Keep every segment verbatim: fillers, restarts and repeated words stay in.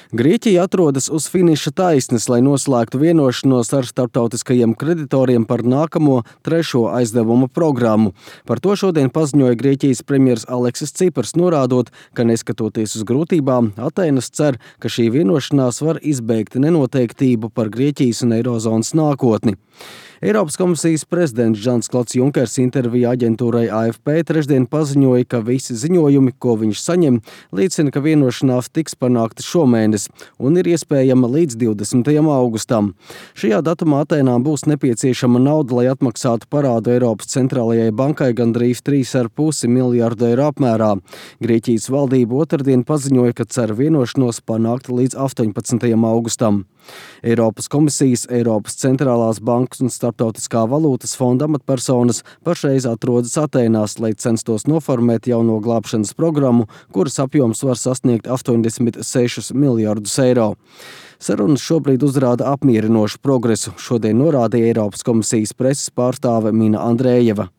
Grieķija atrodas uz finiša taisnes, lai noslēgtu vienošanos ar starptautiskajiem kreditoriem par nākamo trešo aizdevumu programmu. Par to šodien paziņoja Grieķijas premjers Aleksis Cipars, norādot, ka neskatoties uz grūtībām, Atēnas cer, ka šī vienošanās var izbeigt nenoteiktību par Grieķijas un eirozonas nākotni. Eiropas komisijas prezidents Žans-Klods Junkers intervijā aģentūrai A F P trešdien paziņoja, ka visi ziņojumi, ko viņš saņem, liecina, ka vienošanās tiks panākta šomēnes un ir iespējama līdz divdesmitajam augustam. Šajā datumā Atēnām būs nepieciešama nauda, lai atmaksātu parādu Eiropas centrālajai bankai gandrīz trīs ar pusi miljārdu eiro apmērā. Grieķijas valdība otrdien paziņoja, ka cer vienošanos panākt līdz astoņpadsmitajam augustam. Eiropas komisijas, Eiropas centrālās bankas un Starptautiskā valūtas fonda amatpersonas pašreiz atrodas Atēnās, lai censtos noformēt jauno glābšanas programmu, kuras apjoms var sasniegt astoņdesmit sešus miljardus eiro. Sarunas šobrīd uzrāda apmierinošu progresu, šodien norādīja Eiropas komisijas preses pārstāve Mina Andrejeva.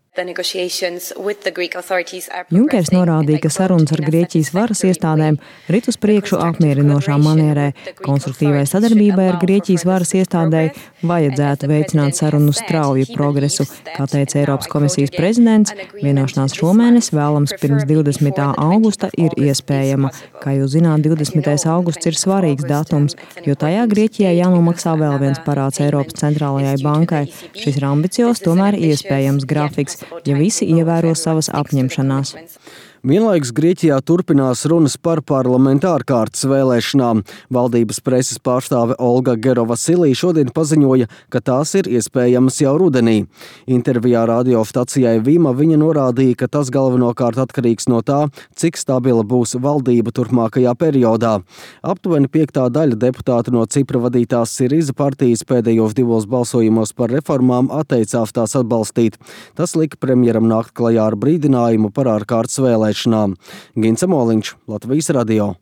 Junkers norādīja, ka sarunas ar Grieķijas varas iestādēm rit uz priekšu apmierinošā manierē. Konstruktīvai sadarbībai ar Grieķijas varas iestādēji vajadzētu veicināt sarunu strauju progresu. Kā teica Eiropas komisijas prezidents, vienošanās šomēnes vēlams pirms divdesmitā augusta ir iespējama. Kā jūs zināt, divdesmitais augusts ir svarīgs datums, jo tajā Grieķijai jānomaksā vēl viens parāds Eiropas centrālajai bankai. Šis ir ambiciozs, tomēr iespējams grafiks, ja visi ievēro savas apņemšanās. Vienlaikus Grieķijā turpinās runas par parlamenta ārkārtas vēlēšanām. Valdības preses pārstāve Olga Gerovasilī šodien paziņoja, ka tās ir iespējamas jau rudenī. Intervijā radiostacijai Vima viņa norādīja, ka tas galvenokārt atkarīgs no tā, cik stabila būs valdība turpmākajā periodā. Aptuveni piektā daļa deputātu no Cipra vadītās Siriza partijas pēdējos divos balsojumos par reformām atteicās tās atbalstīt. Tas lika premjeram nākt klajā ar brīdinājumu par ārkārtas vēlēšanām. Gints Moliņš, Latvijas radio.